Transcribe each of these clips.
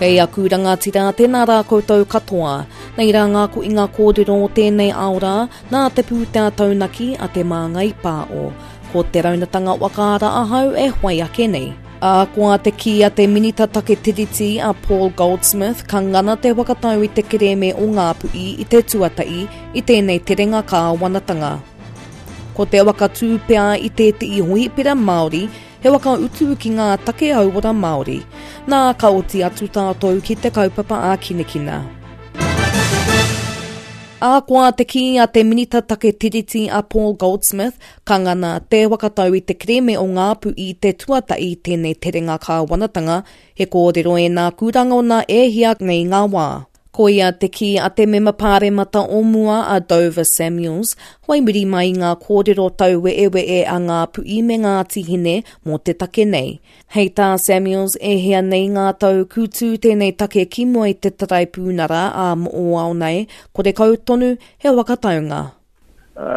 Kei aku rangatira, tēnā rā koutou katoa. Nei rā ngā koinga kōrero o tēnei ao rā, nā te pūtea taunaki a Te Māngai Pāo. Ko te raunatanga whakaara ahau e whai ake nei. Ahakoa te kī a te Minita Take Tiriti a Paul Goldsmith ka ngana te whakatau i te kerēme o Ngāpuhi i te tuatahi i tēnei terenga kāwanatanga. Ko te waka tū pea i tētehi hohipera Māori he waka utu ki ngā take hauora Māori. Nā, ka oti atu tātou ki te kaupapa ākinakina. Ahakoa te kī a te Minita Take Tiriti a Paul Goldsmith, ka ngana te whakatau i te kerēme o Ngāpuhi te tuatahi tēnei terenga kāwanatanga, he kōrero ēnā ku rangona e hia nei ngā wā. Koia te kī a te mema pāremata o mua a Dover Samuels, whai muri mai i ngā kōrero tauwe'ewe'e a Ngāpuhi me Ngāti Hine mō te take nei. Hei tā Samuels, e hia nei ngā tau ku tū tēnei take ki mua i te Taraipiunara ā moʻoao nei, korekau tonu he whakataunga.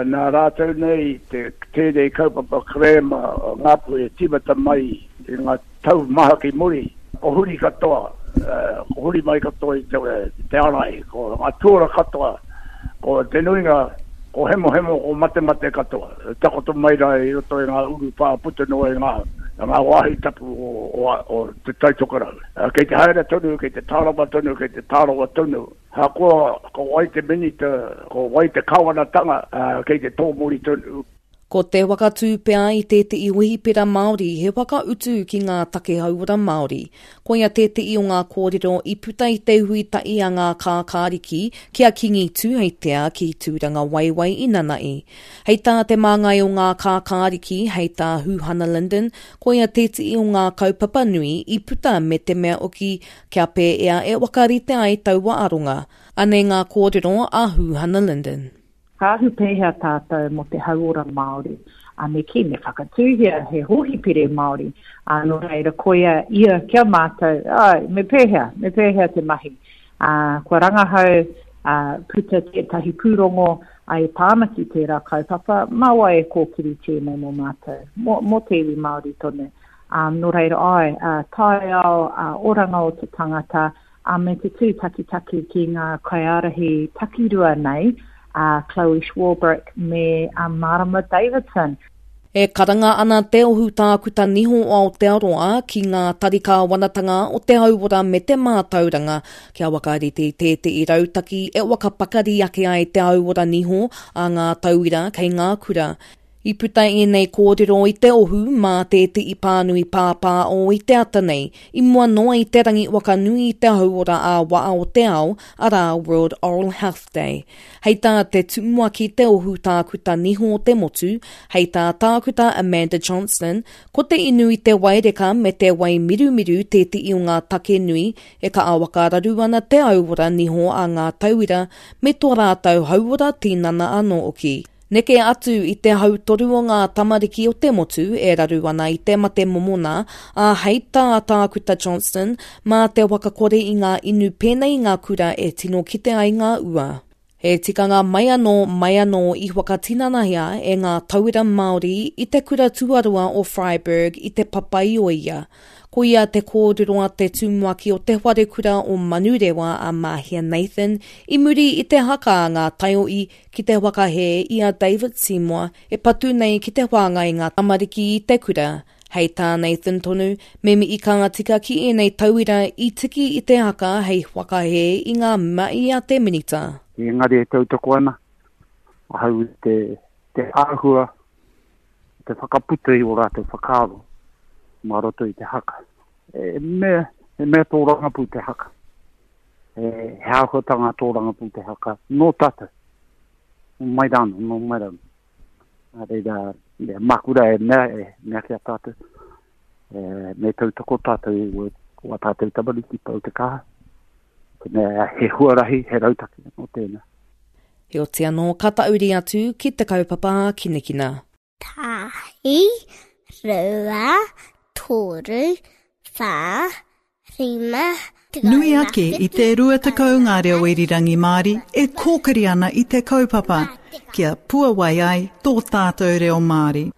Nā rātou nei te tēnei kaupapa kerēma o Ngāpuhi e tīmata mai i ngā tau maha ki muri, ko huri katoa, ko huri mai katoa i te ārai, ko ngā tuara katoa, ko te nuinga, ko hemohemo, ko matemate katoa, e takoto mai rā i roto i ngā urupā puta noa i ngā, ngā wāhi tapu o, o, o Te Tai Tokerau. Kei te haere tonu, kei te tārama tonu, kei te tārawa tonu. Ahakoa ko wai te minita, ko wai te kawanatanga, kei te tōmuri tonu. Ko te whakatū pea i tētehi hōhipera Māori he whakautu ki ngā take hauora Māori. Koia tētehi o ngā kōrero i puta i te hui tahi a ngā kākāriki ki a Kīngi Tūheitea ki Tūrangawaewae i nana'i. Hei tā te māngai o ngā kākāriki, hei tā Huhana Lyndon, koia tētehi o ngā kaupapa nui i puta me te mea hoki kia pēea e whakarite ai taua aronga. Anei ngā kōrero a Huhana Lyndon. Ka ahu pēhea tātou mō te hauora Māori? Ā, me kī, me whakatūhia he hōhipere Māori. Ā, nō reira, koia ia ki a mātou, āe, me pēhea, me pēhea te mahi? Ā, kua rangahau, ā, puta tētahi pūrongo, ā, e pā ana ki tērā kaupapa, mā wai e kōkiri tēnei mō mātou, mō, mō te iwi Māori tonu. Ā, nō reira, āe, ā, taiao, ā, oranga o te tangata, ā, me te tūtakitaki ki ngā kaiārahi takirua nei, a Chloe Swarbrick me a Marama Davidson. E karanga ana te Ohu Tākuta Niho o Aotearoa ki ngā tari kāwanatanga o te hauora me te mātauranga kia whakarite i tētehi rautaki e whakapakari ake ai te hauora niho a ngā tauira kei ngā kura. I puta ēnei kōrero i te ohu mā tētehi pānui pāpāo i te ata nei, i mua noa i te rangi whakanui i te hauora ā-waha o te ao, arā, World Oral Health Day. Hei tā te tumuaki te ohu tākuta niho o te motu, hei tā Tākuta Amanda Johnston, ko te inu i te waireka me te wai mirumiru tētehi o ngā take nui e kaha whakararu ana te hauora niho a ngā tauira me tō rātou hauora tinana anō hoki. Neke atu i te hautoru o ngā tamariki o te motu e raru ana i te mate momona, ā, hei tā Tākuta Johnston, mā te whakakore i ngā inu pēnei i ngā kura e tino kite ai ngā ua. He tikanga mai anō, mai anō i whakatinanahia e ngā tauira Māori i te kura tuarua o Freyberg i Te Papaioea. Koia te kōrero a te tumuaki o te wharekura o Manurewa a Mahia Nathan i muri i te haka a ngā taiohi ki te whakahē i a David Seymour e patu nei ki te whāngai i ngā tamariki i te kura. Hei tā Nathan tonu, me mihi ka tika ki ēnei tauira i tiki i te haka hei whakahē i ngā mahi a te Minita. Engari e tautoko ana ahau i te, te āhua te whakaputa i ō rātou whakaaro mā roto i te haka. E mea, he mea tōrangapū te haka. He, he āhuatanga tōrangapū te haka nō tātou. Nō mai rānō, nō mai rānō. Nā reira, e māku rā e mea, e mea ki a tātou, e, me tautoko tātou i wā tātou tamariki pau te kaha. Te mea, he huarahi, he rautaki anō tēnā. Heoti anō, ka tahuri atu ki te kaupapa ākinakina. Tahi, rua, toru, wha, rima, Nui ake i te 20 ngā reo irirangi Māori e kōkiri ana i te kaupapa kia puawai ai tō tātou reo Māori.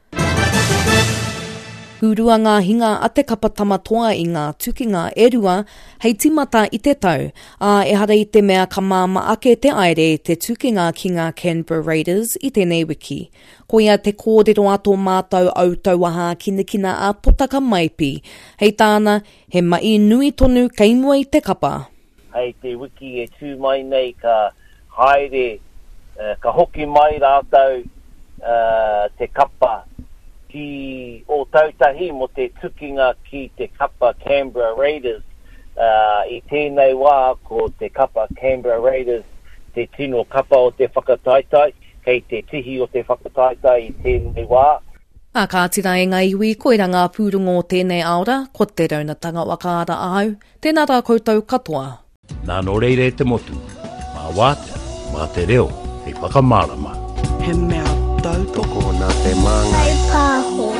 Hurua ngā hinga a te kapa Tama Toa i ngā tukinga e rua hei tīmata i te tau, ā, ehara i te mea ka māmā ake te aere i te tukinga ki ngā Canberra Raiders i tēnei wiki. Koia te kōrero a tō mātou autauaha hākinakina a Potaka Maipi. Hei tāna, he mahi nui tonu kei mua i te kapa. Hei te wiki e tū mai nei ka haere, ka hoki mai rātou te kapa ki Ōtautahi mō te tukinga ki te kapa Canberra Raiders. I tēnei wā ko te kapa Canberra Raiders te tino kapa o te whakataetae, kei te tihi o te whakataetae i tēnei wā. Ā kāti rā e ngā iwi, koirā ngā pūrongo o tēnei aora, ko Te Raunatanga Wakaara ahau, tēnā rā koutou katoa. Nā nō reira e te motu, mā wātea, mā te reo hei whakamārama. He mea tautoko. Tokona te māngai. Whai pāho.